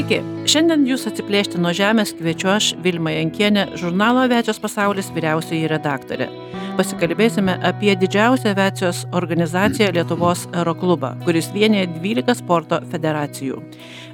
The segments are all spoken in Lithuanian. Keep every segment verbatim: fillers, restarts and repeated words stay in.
Sveiki, šiandien jūs atsiplėšti nuo žemės kviečiu aš, Vilma Jankienė, žurnalo Aviacijos pasaulis vyriausioji redaktorė. Pasikalbėsime apie didžiausią aviacijos organizaciją Lietuvos aeroklubą, kuris vienija dvylika sporto federacijų.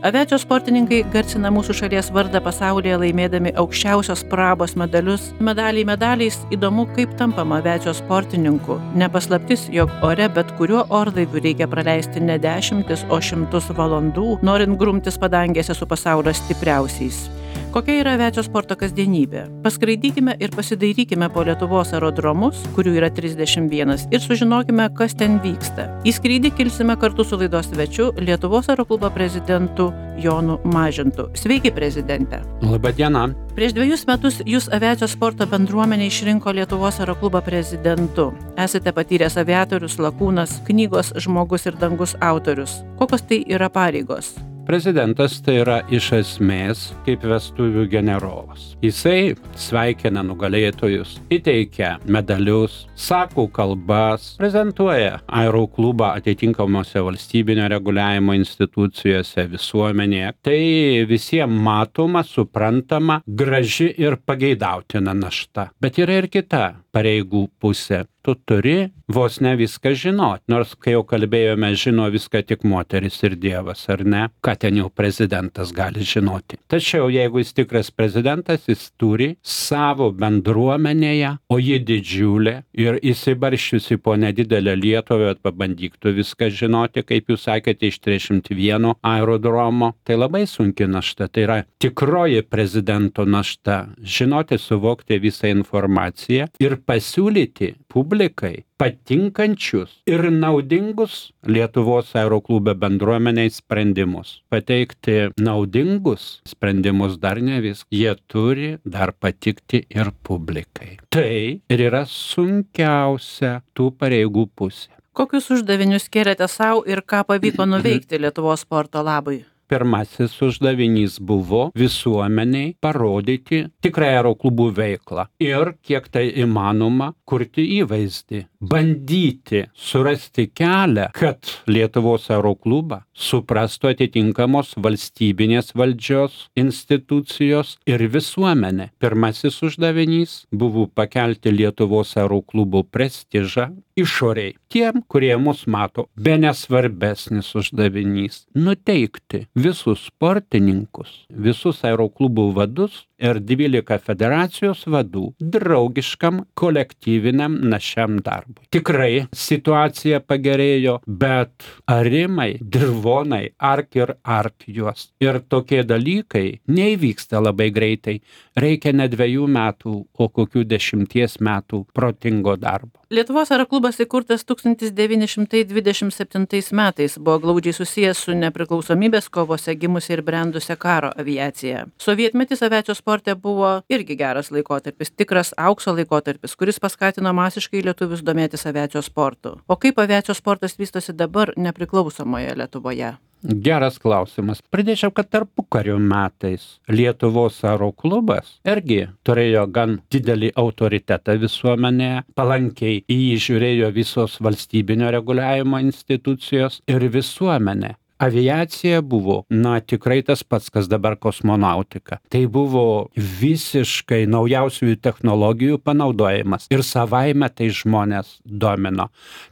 Aviacijos sportininkai garsina mūsų šalies vardą pasaulyje laimėdami aukščiausios prabos medalius. Medaliai medaliais įdomu, kaip tampama aviacijos sportininku. Nepaslaptis, jog ore bet kuriuo orlaiviu reikia praleisti ne dešimtis, o šimtus valandų, norint grumtis padangėse su pasaulio stipriausiais. Kokia yra aviacijos sporto kasdienybė? Paskraidykime ir pasidairykime po Lietuvos aerodromus, kurių yra trisdešimt vienas, ir sužinokime, kas ten vyksta. Į skrydį kilsime kartu su laidos svečiu Lietuvos aeroklubo prezidentu Jonu Mažintu. Sveiki, prezidente. Labą dieną. Prieš dviejus metus jūs aviacijos sporto bendruomenė išrinko Lietuvos aeroklubo prezidentu. Esate patyręs aviatorius, lakūnas, knygos Žmogus ir dangus autorius. Kokios tai yra pareigos? Prezidentas tai yra iš esmės kaip vestuvių generolas. Jisai sveikina nugalėtojus, įteikia medalius, sako kalbas, prezentuoja aeroklubą atitinkamose valstybinio reguliavimo institucijose, visuomenėje. Tai visiems matoma, suprantama, graži ir pageidautina našta. Bet yra ir kita pareigų pusė. Tu turi vos ne viską žinoti, nors kai jau kalbėjome, žino viską tik moteris ir Dievas, ar ne? Ką ten jau prezidentas gali žinoti. Tačiau jeigu jis tikras prezidentas, jis turi savo bendruomenėje, o ji didžiulė ir įsibarščiusi po nedidelę Lietuvą, pabandyk tu viską žinoti, kaip jūs sakėte, iš trisdešimt vieno aerodromo. Tai labai sunki našta, tai yra tikroji prezidento našta. Žinoti, suvokti visą informaciją ir pasiūlyti publikai patinkančius ir naudingus Lietuvos aeroklube bendruomeniai sprendimus. Pateikti naudingus sprendimus dar ne vis. Jie turi dar patikti ir publikai. Tai ir yra sunkiausia tų pareigų pusė. Kokius uždavinius kėlėte savo ir ką pavyko nuveikti Lietuvos sporto labui? Pirmasis uždavinys buvo visuomeniai parodyti tikrą aeroklubų veiklą ir, kiek tai įmanoma, kurti įvaizdį. Bandyti surasti kelią, kad Lietuvos aeroklubą suprastų atitinkamos valstybinės valdžios institucijos ir visuomenė. Pirmasis uždavinys buvo pakelti Lietuvos aeroklubų prestižą išoriai. Tiem, kurie mus mato, bene svarbesnis uždavinys – nuteikti visus sportininkus, visus aeroklubų vadus ir dvylika federacijos vadų draugiškam kolektyviniam našiam darbui. Tikrai situacija pagerėjo, bet arimai, dirvonai, ark ir ark juos. Ir tokie dalykai neįvyksta labai greitai. Reikia ne dviejų metų, o kokių dešimties metų protingo darbo. Lietuvos aeroklubas įkurtas tūkstantis devyni šimtai dvidešimt septintais metais, buvo glaudžiai susijęs su nepriklausomybės kovose gimusia ir brendusia karo aviacija. Sovietmetis aviacijos sporte buvo irgi geras laikotarpis, tikras aukso laikotarpis, kuris paskatino masiškai lietuvius domėtis aviacijos sportu. O kaip aviacijos sportas vystosi dabar nepriklausomoje Lietuvoje? Geras klausimas. Pridėčiau, kad tarpukario metais Lietuvos aeroklubas irgi turėjo gan didelį autoritetą visuomenėje, palankiai į jį žiūrėjo visos valstybinio reguliavimo institucijos ir visuomenė. Aviacija buvo, na, tikrai tas pats, kas dabar kosmonautika. Tai buvo visiškai naujausiųjų technologijų panaudojimas ir savaime tai žmonės domino.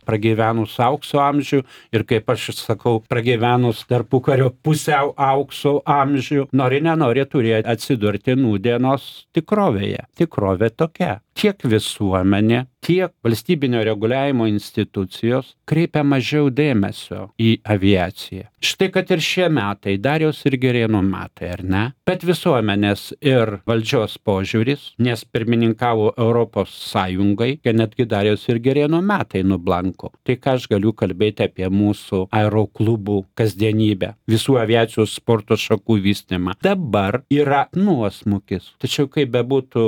Pragyvenus aukso amžių ir, kaip aš sakau, pragyvenus tarpukario pusiau aukso amžių, nori nenori turėjo atsidurti nūdienos tikrovėje. Tikrovė tokia. Tiek visuomenė, tiek valstybinio reguliavimo institucijos kreipia mažiau dėmesio į aviaciją. Štai kad ir šie metai, Dariaus ir Girėno metai, ar ne? Bet visuomenės ir valdžios požiūris, nes pirmininkavo Europos Sąjungai, kad netgi Dariaus ir Girėno metai nublanko. Tai ką aš galiu kalbėti apie mūsų aeroklubų kasdienybę, visų aviacijos sporto šakų vystymą. Dabar yra nuosmukis. Tačiau kaip bebūtų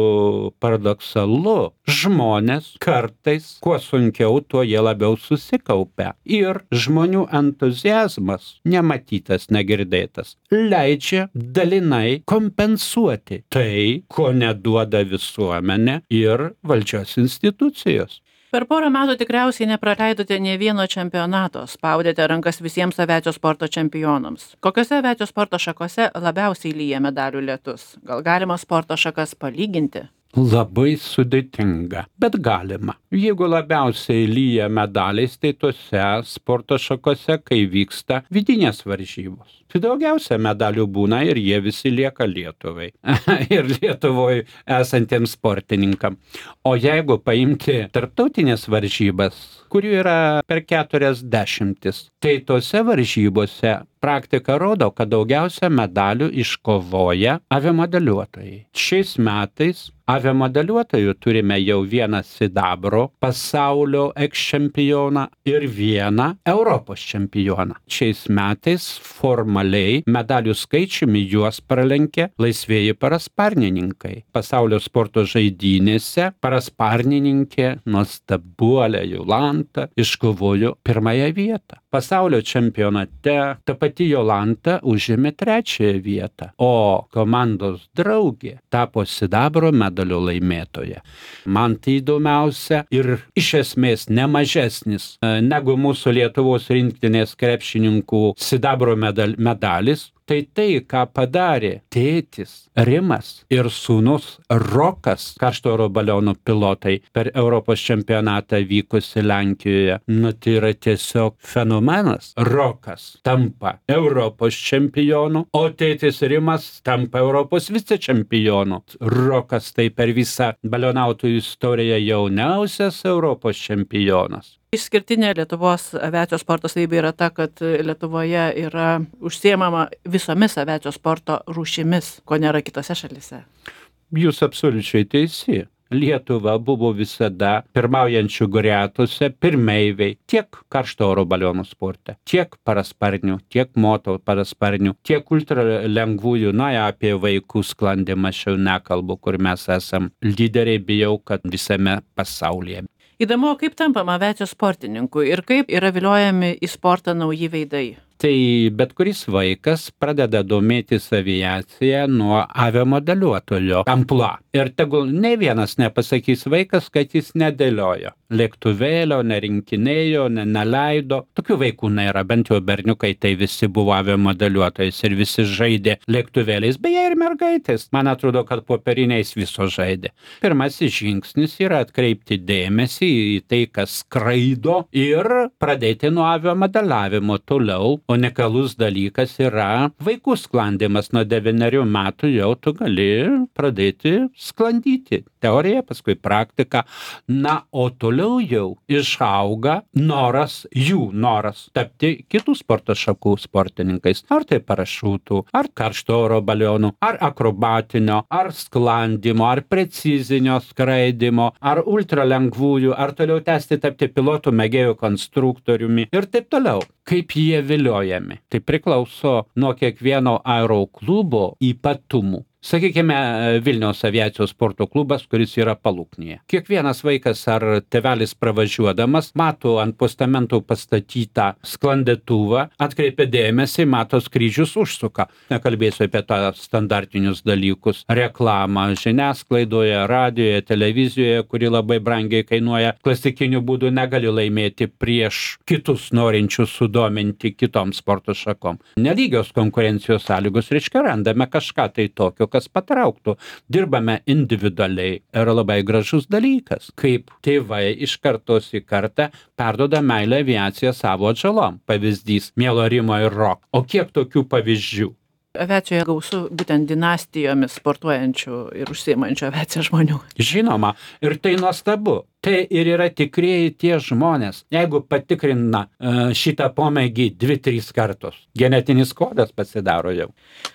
paradoksalu, žmonės kartais, kuo sunkiau, tuo jie labiau susikaupia. Ir žmonių entuziazmas, nematytas, negirdėtas, leidžia dalinai kompensuoti tai, ko neduoda visuomenė ir valdžios institucijos. Per porą metų tikriausiai nepraleidote nė vieno čempionato, spaudėte rankas visiems aviacijos sporto čempionams. Kokiose aviacijos sporto šakose labiausiai lyja medalių lietus? Gal galima sporto šakas palyginti? Labai sudėtinga, bet galima. Jeigu labiausiai lyja medaliais, tai tose sporto šakose, kai vyksta vidinės varžybos. Tai daugiausia medalių būna ir jie visi lieka Lietuvai ir Lietuvoje esantiems sportininkam. O jeigu paimti tarptautinės varžybas, kurių yra per keturias dešimtis, tai tose varžybose praktika rodo, kad daugiausia medalių iškovoja aviamodeliuotojai. Šiais metais aviamodeliuotojų turime jau vieną sidabro pasaulio eksčempioną ir vieną Europos čempioną. Šiais metais formaliai medalių skaičiumi juos pralenkė laisvieji parasparnininkai. Pasaulio sporto žaidynėse parasparnininkė nuostabuolė Jolanta iškovojo pirmąją vietą. Pasaulio čempionate ta pati Jolanta užėmė trečiąją vietą, o komandos draugė tapo sidabro medalio laimėtoja. Man tai įdomiausia ir iš esmės nemažesnis negu mūsų Lietuvos rinktinės krepšininkų sidabro medal, medalis. Tai tai, ką padarė tėtis Rimas ir sūnus Rokas, karšto oro balionų pilotai, per Europos čempionatą vykusi Lenkijoje, nu tai yra tiesiog fenomenas. Rokas tampa Europos čempionu, o tėtis Rimas tampa Europos vicečempionu. Rokas tai per visą balionautojų istoriją jauniausias Europos čempionas. Išskirtinė Lietuvos aviacijos sporto savybė yra ta, kad Lietuvoje yra užsiemama visomis aviacijos sporto rūšimis, ko nėra kitose šalyse. Jūs absoliučiai teisi. Lietuva buvo visada pirmaujančių gretose pirmeiviai tiek karšto oro balionų sporte, tiek parasparnių, tiek moto parasparnių, tiek ultralengvųjų, na, apie vaikų sklandymą aš jau nekalbu, kur mes esam lyderiai, bijau, kad visame pasaulyje. Įdomu, kaip tampama aviacijos sportininku ir kaip yra viliojami į sportą nauji veidai. Tai bet kuris vaikas pradeda domėtis aviacija nuo aviamodeliuotojo amplua. Ir tegul ne vienas nepasakys vaikas, kad jis nedėliojo. Lėktuvėlio, nerinkinėjo, ne, neleido. Tokių vaikų nėra, bent jau berniukai, tai visi buvo aviamodeliuotojais ir visi žaidė lėktuvėliais, beje ir mergaitės. Man atrodo, kad popieriniais viso žaidė. Pirmasis žingsnis yra atkreipti dėmesį į tai, kas skraido ir pradėti nuo aviamodeliavimo toliau. Unikalus dalykas yra vaikų sklandymas. Nuo devynerių metų jau tu gali pradėti sklandyti. Teorija, paskui praktika. Na, o toliau jau išauga noras, jų noras tapti kitų sporto šakų sportininkais. Ar tai parašutų, ar karšto oro balionų, ar akrobatinio, ar sklandymo, ar precizinio skraidimo, ar ultralengvųjų, ar toliau tęsti tapti pilotų, mėgėjų, konstruktoriumi ir taip toliau. Kaip jie viliojami? Tai priklauso nuo kiekvieno aeroklubo ypatumų. Sakykime, Vilniaus aviacijos sporto klubas, kuris yra Paluknyje. Kiekvienas vaikas ar tėvelis pravažiuodamas mato ant postamentų pastatytą sklandytuvą, atkreipia dėmesį, mato skrydžius, užsuka. Nekalbėsiu apie tą standartinius dalykus. Reklamą žiniasklaidoje, radijoje, televizijoje, kuri labai brangiai kainuoja. Klasikiniu būdu negali laimėti prieš kitus norinčius sudominti kitom sporto šakom. Nelygios konkurencijos sąlygos, reiškia, randame kažką tai tokio, kas patrauktų. Dirbame individualiai. Yra labai gražus dalykas, kaip tėvai iš kartos į kartą perduoda meilę aviaciją savo atžalom. Pavyzdys Mielo Rimo ir Rok. O kiek tokių pavyzdžių? Aviacijoje gausu būtent dinastijomis sportuojančių ir užsiimančių aviaciją žmonių. Žinoma, ir tai nuostabu. Tai ir yra tikrieji tie žmonės, jeigu patikrina šitą pomėgį dvi, trys kartus. Genetinis kodas pasidaro jau.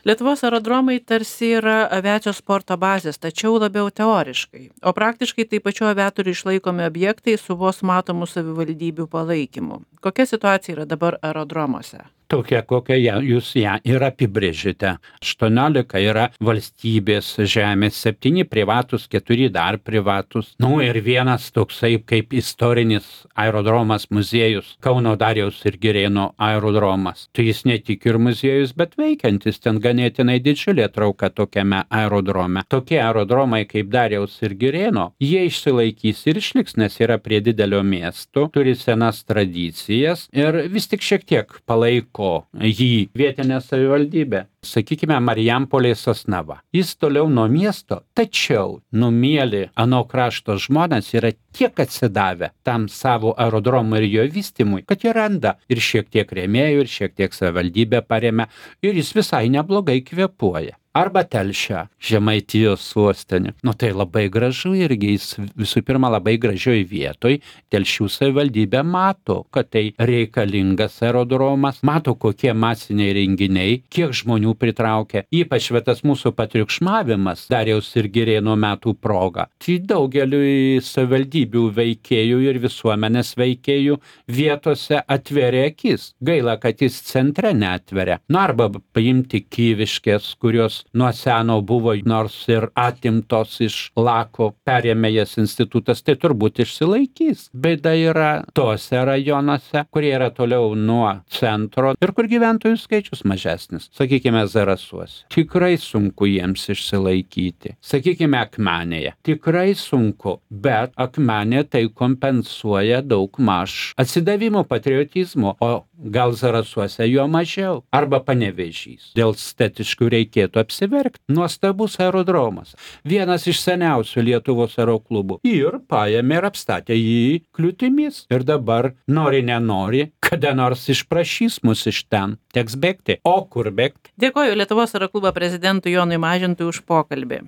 Lietuvos aerodromai tarsi yra aviacijos sporto bazės, tačiau labiau teoriškai. O praktiškai tai pačių aviatorių išlaikomi objektai su vos matomų savivaldybių palaikymu. Kokia situacija yra dabar aerodromuose? Tokia, kokią jūs ją ir apibrėžite. aštuoniolika yra valstybės žemės, septyni privatus, keturi dar privatus. Nu ir vienas toksai kaip istorinis aerodromas muziejus, Kauno Dariaus ir Girėno aerodromas. Tai jis ne tik ir muziejus, bet veikiantis, ten ganėtinai didžiulė trauka tokiame aerodrome. Tokie aerodromai kaip Dariaus ir Girėno, jie išsilaikys ir išliks, nes yra prie didelio miesto, turi senas tradicijas ir vis tik šiek tiek palaiko jį vietinė savivaldybė. Sakykime, Marijampolės Sosnava. Jis toliau nuo miesto, tačiau numieli ano krašto žmonės yra tiek atsidavę tam savo aerodromui ir jo vystymui, kad jie randa ir šiek tiek rėmėjų, ir šiek tiek savivaldybė paremia, ir jis visai neblogai kvėpuoja. Arba Telšia, Žemaitijos sostinė. Nu tai labai gražu irgi, jis visų pirma labai gražioj vietoj. Telšių savivaldybė mato, kad tai reikalingas aerodromas, mato kokie masiniai renginiai, kiek žmonių pritraukia. Ypač tas mūsų patriukšmavimas Dariaus ir Girėno metų proga. Tai daugeliui savivaldybių veikėjų ir visuomenės veikėjų vietose atveria akis. Gaila, kad jis centre neatveria. Na arba paimti Kyviškės, kurios nuo seno buvo nors ir atimtos iš Lako, perėmė jas institutas, tai turbūt išsilaikys. Bėda yra tose rajonuose, kurie yra toliau nuo centro ir kur gyventojų skaičius mažesnis. Sakykime, Zarasuose. Tikrai sunku jiems išsilaikyti. Sakykime, Akmenėje. Tikrai sunku, bet Akmenė tai kompensuoja daug maž atsidavimo, patriotizmo, o gal Zarasuose jo mažiau. Arba Panevėžys. Dėl statiškų reikėtų apsiverkti. Nuostabus aerodromas. Vienas iš seniausių Lietuvos aeroklubų. Ir paėmė ir apstatė jį kliūtimis. Ir dabar, nori nenori, kada nors išprašys mus iš ten. Teks bėgti. O kur bėgti? Dėkoju Lietuvos aeroklubo prezidentui Jonui Mažintui už pokalbį.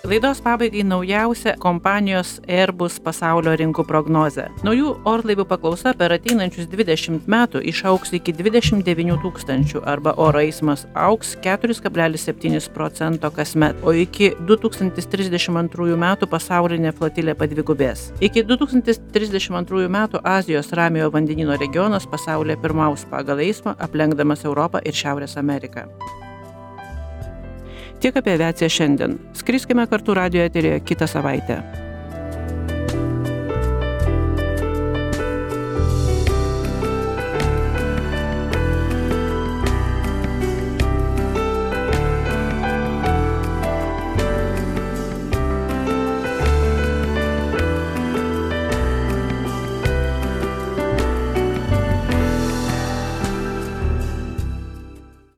Laidos pabaigai naujausia kompanijos Airbus pasaulio rinkų prognozė. Naujų orlaivių paklausa per ateinančius dvidešimt metų išaugs iki dvidešimt devynių tūkstančių arba oro eismas augs keturi kablelis septyni procento kasmet, o iki du tūkstantis trisdešimt antrųjų metų pasaulinė flotilė padvigubės. Iki du tūkstantis trisdešimt antrųjų metų Azijos Ramiojo vandenyno regionas pasaulyje pirmaus pagal eismą, aplenkdamas Europą ir Šiaurės Ameriką. Tiek apie aviaciją šiandien. Skriskime kartu radijo eteryje kitą savaitę.